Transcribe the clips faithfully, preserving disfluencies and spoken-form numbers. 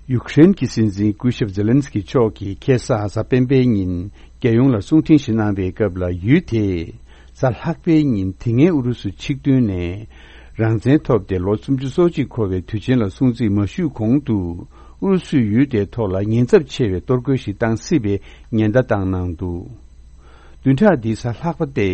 ཡུཀ་རེན་གྱི་སྲིད་འཛིན་སྐུ་ཞབས་ཛེ་ལན་སི་ཀི་མཆོག་གིས་ཁ་སང་གཟའ་སྤེན་པའི་ཉིན་རྒྱལ་ཡོངས་ལ་གསུང་འཕྲིན་ཞིག་གནང་བའི་སྐབས་ལ། ཡུལ་དེས་གཟའ་ལྷག་པའི་ཉིན་དེ་སྔའི་ཨུ་རུ་སུ་ཆིག་སྟོན་ནས་རང་བཙན་ཐོབ་སྟེ་ལོ་སུམ་ཅུ་སོ་གཅིག་འཁོར་བའི་དུས་ཆེན་ལ་སྲུང་བརྩི་མ་ཞུས་གོང་དུ། ཨུ་རུ་སུས་ཡུལ་དེའི་ཐོག་ལ་ཉེན་ཚབས་ཆེ་བའི་གཏོར་རྒོལ་ཞིག་བཏང་སྲིད་པའི་ཉེན་བརྡ་བཏང་གནང་འདུག། བདུན་ཕྲག་འདིའི་གཟའ་ལྷག་པ་སྟེ།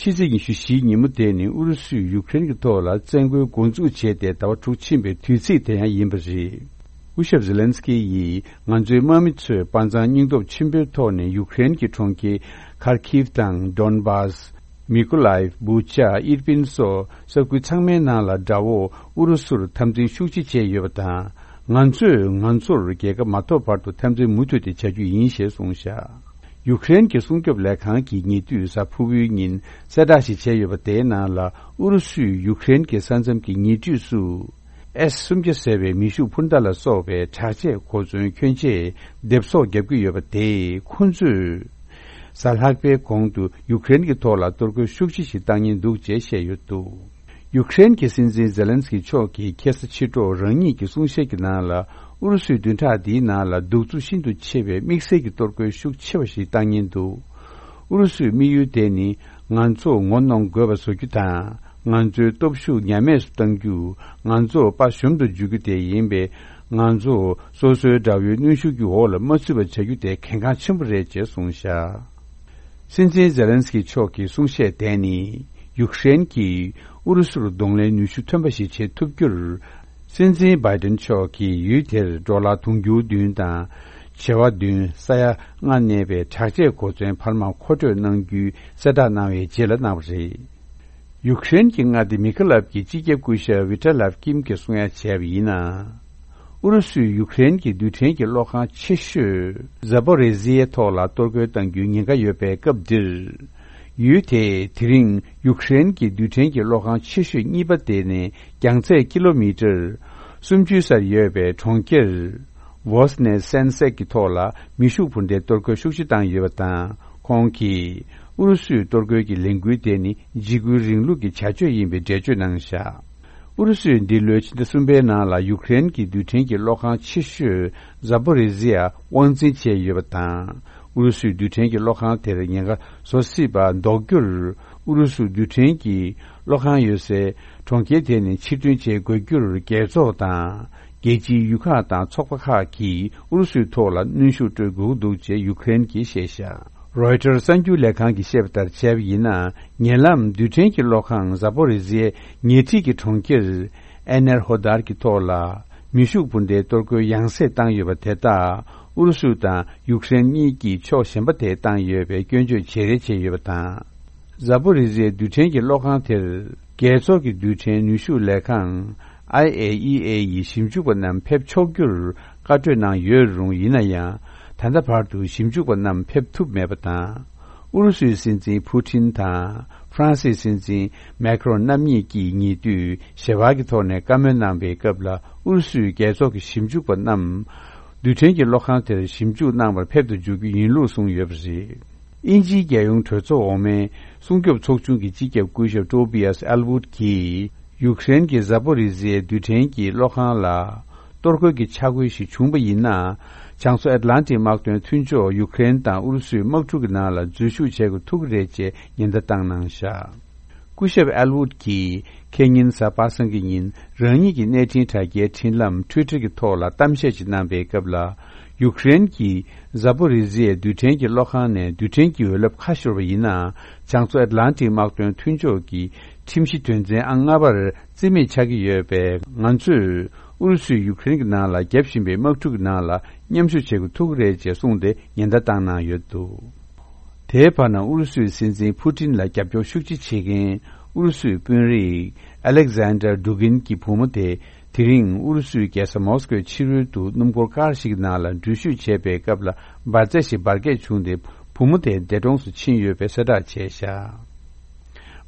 ཕྱི་ཚེས་ཉི་ཤུ་བཞིའི་ཉིན་མོ་དེ་ནི་ཨུ་རུ་སུས་ཡུཀ་རེན་གྱི་ཐོག་ལ་བཙན་རྒོལ་འགོ་འཛུགས་བྱས་ཏེ་ཟླ་བ་དྲུག་ཕྱིན་པའི་དུས་ཚིགས་དེ་ཡང་ཡིན་པ་རེད། སྐུ་ཞབས་ཛེ་ལན་སི་ཀི་ཡིས། ང་ཚོའི་དམག་མི་ཚོས་དཔའ་མཛངས་སྙིང་སྟོབས་ཆེན་པོའི་ཐོག་ནས་ཡུཀ་རེན་གྱི་གྲོང་ཁྱེར་ཁར་ཁིབ་དང་། ཌོན་བྷ་སི། མི་ཀོ་ལའེབ། བུ་ཆ། ཨིར་པིན་སོགས་ས་ཁུལ་ཚང་མའི་ནང་ལ་དགྲ་བོ་ཨུ་རུ་སུར་འཐབ་འཛིང་ཤུགས་ཆེ་བྱས་ཡོད་པ་དང་། ང་ཚོས་ང་ཚོར་རྒྱལ་ཁ་མ་ཐོབ་བར་དུ་འཐབ་འཛིང་མུ་མཐུད་དེ་བྱ་རྒྱུ་ཡིན་ཞེས་གསུངས་བཞག། ཡུཀ་རེན་གྱི་སྲུང་སྐྱོབ་ལས་ཁང་གིས་ཉེ་དུས་གཟའ་ཕུར་བུའི་ཉིན་གསལ་བསྒྲགས་ཤིག་བྱས་ཡོད་པ། དེའི་ནང་ལ་ཨུ་རུ་སུས་ཡུཀ་རེན་གྱི་ས་མཚམས་ཀྱི་ཉེ་འཁྲིས་སུ། ཨེས་སུམ་བརྒྱ་ཟེར་བའི་མེ་ཤུགས་འཕུར་མདའ་ལ་སོགས་པའི་དྲག་ཆས་གོ་མཚོན་གྱོན་ཆས་སྡེབ་གསོག་བརྒྱབ་ཀྱི་ཡོད་པ། དེས་ཁོ་ཚོས་གཟའ་ལྷག་པའི་གོང་དུ་ཡུཀ་རེན་གྱི་ཐོག་ལ་གཏོར་རྒོལ་ཤུགས་ཆེ་ཞིག་བཏང་ཉེན་འདུག་ཅེས་བཤད་ཡོད་འདུག། ཡུཀ་རེན་གྱི་སྲིད་འཛིན་ཛེ་ལན་སི་ཀི་མཆོག་གིས་ཁ་སང་ཕྱི་དྲོ་རང་ཉིད་ཀྱི་གསུང་བཤད་ཀྱི་ནང་ལ། ཨུ་རུ་སུས་བདུན་ཕྲག་འདིའི་ནང་ལ་གདུག་རྩུབ་ཤིན་ཏུ་ཆེ་བའི་དམིགས་བསལ་གྱི་གཏོར་རྒོལ་ཤུགས་ཆེ་བ་ཞིག་བཏང་ཉེན་འདུག། ཨུ་རུ་སུའི་དམིགས་ཡུལ་དེ་ནི། ང་ཚོ་ངོ་གནོང་དགོས་པ་བཟོ་རྒྱུ་དང་། ང་ཚོའི་སྟོབས་ཤུགས་ཉམས་དམས་སུ་གཏང་རྒྱུ། ང་ཚོ་དཔའ་ཞུམ་དུ་འཇུག་རྒྱུ་དེ་ཡིན་པས། ང་ཚོ་སོ་སོའི་དགྲ་བོའི་གནོན་ཤུགས་ཀྱི་འོག་ལ་མ་ཚུད་པ་བྱ་རྒྱུ་དེ་གལ་འགངས་ཆེན་པོ་རེད་ཅེས་གསུངས་བཞག། སྲིད་འཛིན་ཛེ་ལན་སི་ཀི་མཆོག་གི་གསུང་བཤད་དེ་ནི། ཡུཀ་རེན་གྱིས་ཨུ་རུ་སུར་གདོང་ལེན་ནུས་ཤུགས་ཐོན་པ་ཞིག་བྱེད་ཐུབ་རྒྱུར། སྲིད་འཛིན་བྷའི་ཏིན་མཆོག་གིས་ཡུལ་དེར་ཌོ་ལར་དུང་ཕྱུར་བདུན་དང་། བྱེ་བ་བདུན། ས་ཡ་ལྔ་གནས་པའི་དྲག་ཆས་གོ་མཚོན་འཕར་མ་མཁོ་སྤྲོད་གནང་རྒྱུའི་གསལ་བསྒྲགས་གནང་བའི་རྗེས་ལ་གནང་བ་རེད། ཡུཀ་རེན་གྱི་མངའ་སྡེ་མི་ཁ་ལབ་ཀྱི་སྤྱི་ཁྱབ་སྐུ་ཞབས་ཝི་ཏྲ་ལབ་ཀིམ་གྱིས་གསུང་ཡ་བྱས་པ་ཡིན་ན། ཨུ་རུ་སུས་ཡུཀ་རེན་གྱི་རྡུལ་ཕྲན་གྱི་གློག་ཁང་ཆེ་ཤོས་ཛ་པོ་རི་ཟི་ཡའི་ཐོག་ལ་གཏོར་རྒོལ་གཏང་རྒྱུའི་ཉེན་ཁ་ཡོད་པའི་སྐབས་འདིར། ཡུལ་དེས་དེ་རིང་ཡུཀ་རེན་གྱི་རྡུལ་ཕྲན་གྱི་གློག་ཁང་ཆེ་ཤོས་གཉིས་པ་དེ་ནི་རྒྱང་ཚད་ཀི་ལོ་མི་ཊར་སུམ་ཅུའི་སར་ཡོད་པའི་གྲོང་ཁྱེར་ཝོ་སི་ནེ་སན་སེག་གི་ཐོག་ལ་མེ་ཤུགས་འཕུར་མདའི་གཏོར་རྒོལ་ཤུགས་ཆེ་བཏང་ཡོད་པ་དང་། ཁོང་གིས་ཨུ་རུ་སུའི་གཏོར་རྒོལ་གྱི་ལས་འགུལ་དེ་ནི་འཇིགས་སྐུལ་རིང་ལུགས་ཀྱི་བྱ་སྤྱོད་ཡིན་པའི་འགྲེལ་བརྗོད་གནང་བཞག། ཨུ་རུ་སུས་འདི་ལོའི་ཕྱི་ཟླ་གསུམ་པའི་ནང་ལ་ཡུཀ་རེན་གྱི་རྡུལ་ཕྲན་གྱི་གློག་ཁང་ཆེ་ཤོས་ཛ་པོ་རི་ཟི་ཡ་དབང་འཛིན་བྱས་ཡོད་པ་དང་། ཨུ་རུ་སུས་རྡུལ་ཕྲན་གྱི་གློག་ཁང་དེར་ཉེན་ཁ་བཟོ་སྲིད་པ་ཟློག་རྒྱུར། ཨུ་རུ་སུ་རྡུལ་ཕྲན་གྱི་གློག་ཁང་ཡོད་སའི་གྲོང་ཁྱེར་དེ་ནས་ཕྱིར་ཐོན་བྱེད་དགོས་རྒྱུར། རྒྱལ་ཚོགས་དང་རྒྱལ་སྤྱིའི་ཡུལ་ཁག་དང་ཚོགས་པ་ཁག་གིས་ཨུ་རུ་སུའི་ཐོག་ལ་གནོན་ཤུགས་སྤྲོད་དགོས་ཀྱི་འདུག་ཅེས་ཡུཀ་རེན་གྱིས་བཤད་བཞག། རོའི་ཊར་གསར་འགྱུར་ལས་ཁང་གིས་བཤད་པ་ལྟར་བྱས་པ་ཡིན་ན། ཉེ་ལམ་རྡུལ་ཕྲན་གྱི་གློག་ཁང་ཟ་པོ་རི་ཟི་ཡའི་ཉེ་འཁྲིས་ཀྱི་གྲོང་ཁྱེར་ཨེ་ནེར་ཧོ་དར་གྱི་ཐོག་ལ་མེ་ཤུགས་འཕུར་མདའི་གཏོར་རྒོལ་ཡང་སེ་བཏང་ཡོད་པ་དེ་དག་ཨུ་རུ་སུ་དང་ཡུཀ་རེན་གཉིས་ཀྱིས་ཕྱོགས་གཞན་པ་དེ་བཏང་ཡོད་པའི་སྐྱོན་བརྗོད་བྱེད་རེས་བྱས་ཡོད་པ་དང་། ཟ་པོ་རི་ཟི་ཡའི་རྡུལ་ཕྲན་གྱི་གློག་ཁང་དེར་རྒྱལ་ཚོགས་ཀྱི་རྡུལ་ཕྲན་ནུས་ཤུགས་ལས་ཁང་ཨའི་ཨེ་ཨི་ཨེ་ཡི་ཞིབ་འཇུག་པ་རྣམས་ཕེབས་ཆོག་རྒྱུར་བཀའ་གྲོས་གནང་ཡོད་རུང་། ཡིན་ན་ཡང་ད་ལྟ་བར་དུ་ཞིབ་འཇུག་པ་རྣམས་ཕེབས་ཐུབ་མེད་པ་དང་། ཨུ་རུ་སུའི་སྲིད་འཛིན་ཕུ་ཊིན་དང་ཧྥ་རན་སིའི་སྲིད་འཛིན་མེ་ཁ་རོན་རྣམ་གཉིས་ཀྱིས་ཉེ་དུས་ཞལ་པར་གྱི་ཐོག་ནས་བཀའ་མོལ་གནང་བའི་སྐབས་ལ། ཨུ་རུ་སུའི་རྒྱལ་ཚོགས་ཀྱི་ཞིབ་འཇུག་པ་རྣམས་རྡུལ་ཕྲན་གྱི་གློག་ཁང་དེར་ཞིབ་འཇུག་གནང་བར་ཕེབས་སུ་འཇུག་རྒྱུ་ཡིན་ལུགས་གསུངས་ཡོད་པ་རེད། དབྱིན་ཇིའི་རྒྱལ་ཡོངས་གྲོས་ཚོགས་འོག་མའི་སྲུང་སྐྱོབ་ཚོགས་ཆུང་གི་སྤྱི་ཁྱབ་སྐུ་ཞབས་ཏོ་བི་ཡཱས་ཨེལ་ཝུད་ཀྱིས། ཡུཀ་རེན་གྱི་ཟ་པོ་རི་ཟི་ཡའི་རྡུལ་ཕྲན་གྱི་གློག་ཁང་ལ་གཏོར་རྒོལ་གྱི་འཆར་འགོད་ཞིག་བྱུང་པ་ཡིན་ན། བྱང་མཚོ་ཨེཊ་ལན་ཊིག་དམག་དོན་མཐུན་ཕྱོགས་ཡུཀ་རེན་དང་ཨུ་རུ་སུའི་དམག་འཁྲུག་གི་ནང་ལ་འཛུལ་ཞུགས་བྱེད་དགོས་ཐུག་གི་རེད་ཅེས་ཉེན་བརྡ་བཏང་གནང་བཞག། སྐུ་ཞབས་ཨེལ་ཝུད་ཀྱིས་ཁེ་ཉིན་གཟའ་པ་སངས་ཀྱི་ཉིན་རང་ཉིད་ཀྱི་གནས་འཕྲིན་དྲ་རྒྱའི་འཕྲིན་ལམ་ཊུའི་ཊར་གྱི་ཐོག་ལ་གཏམ་བཤད་ཅིག་གནང་པའི་སྐབས་ལ། ཡུཀ་རེན་གྱིས་ཟ་པོ་རི་ཟི་ཡའི་རྡུལ་ཕྲན་གྱི་གློག་ཁང་ནས་རྡུལ་ཕྲན་གྱི་འོད་རླབས་ཁ་ཤོར་བ་ཡིན་ན། བྱང་མཚོ་ཨེཊ་ལན་ཊིག་དམག་དོན་མཐུན་ཕྱོགས་ཀྱི་ཁྲིམས་གཞི་དོན་ཚན་ཨང་ལྔ་པར་བརྩི་མེད་ཆགས་ཀྱི་ཡོད་པས། ང་ཚོས་ཨུ་རུ་སུས་ཡུཀ་རེན་གྱི་ནང་ལ་བརྒྱབ་བཞིན་པའི་དམག་འཁྲུག་གི་ནང་ལ་མཉམ་ཞུགས་བྱེད་དགོས་ཐུག་གི་རེད་ཅེས་གསུངས་ཏེ་ཉེན་བརྡ་བཏང་གནང་ཡོད་འདུག། དེའི་བར་ན་ཨུ་རུ་སུའི་སྲིད་འཛིན་ཕུ་ཏིན་ལ་རྒྱབ་སྐྱོར་ཤུགས་ཆེ་བྱེད་མཁན་ཨུ་རུ་སུའི་དཔོན་རིགས་ཨ་ལེག་ཟན་ཌར་ཌུ་གིན་གྱི་བུ་མོ་དེ་དེ་རིང་ཨུ་རུ་སུའི་རྒྱལ་ས་མོ་སི་ཀོའི་ཕྱི་རོལ་དུ་སྣུམ་འཁོར་ཀར་ཞིག་གི་ནང་ལ་འགྲུལ་བཞུད་བྱས་པའི་སྐབས་ལ་འབར་རྫས་ཤིག་འབར་གས་བྱུང་སྟེ་བུ་མོ་དེ་འདས་གྲོངས་སུ་ཕྱིན་ཡོད་པའི་གསལ་བསྒྲགས་བྱས་བཞག།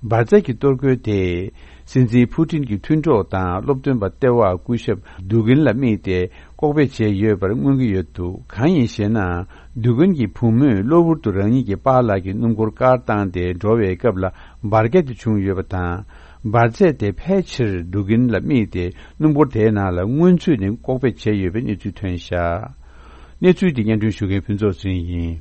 འབར་རྫས་ཀྱི་གཏོར་རྒོལ་དེས་སྲིད་འཛིན་ཕུ་ཏིན་གྱི་མཐུན་གྲོགས་དང་སློབ་སྟོན་པ་ལྟེ་བ་སྐུ་ཞབས་ཌུ་གིན་ལ་དམིགས་ཏེ་ལྐོག་ཕེབས་བྱས་ཡོད་པར་མངོན་གྱི་ཡོད་འདུག། གང་ཡིན་ཞེ་ན། ཌུ་གིན་གྱི་བུ་མོས་གློ་བུར་དུ་རང་ཉིད་ཀྱི་པཱ་ལགས་ཀྱི་སྣུམ་འཁོར་ཀར་བཏང་སྟེ་འགྲོ་བའི་སྐབས་ལ་འབར་གས་དེ་བྱུང་ཡོད་པ་དང་། འབར་རྫས་དེ་ཕལ་ཆེར་འབྲུག་རྒྱུན་ལ་དམིགས་ཏེ། སྣུམ་འཁོར་དེའི་ནང་ལ་སྔོན་ཚུད་ནས་ལྐོག་ཕེབས་བྱས་ཡོད་པའི་གནས་ཚུལ་ཐོན་བཞག་གནས་ཚུལ་འདི་སྙན་སྒྲོན་ཞུ་མཁན་ཕུན་ཚོགས་ཚེ་རིང་ཡིན།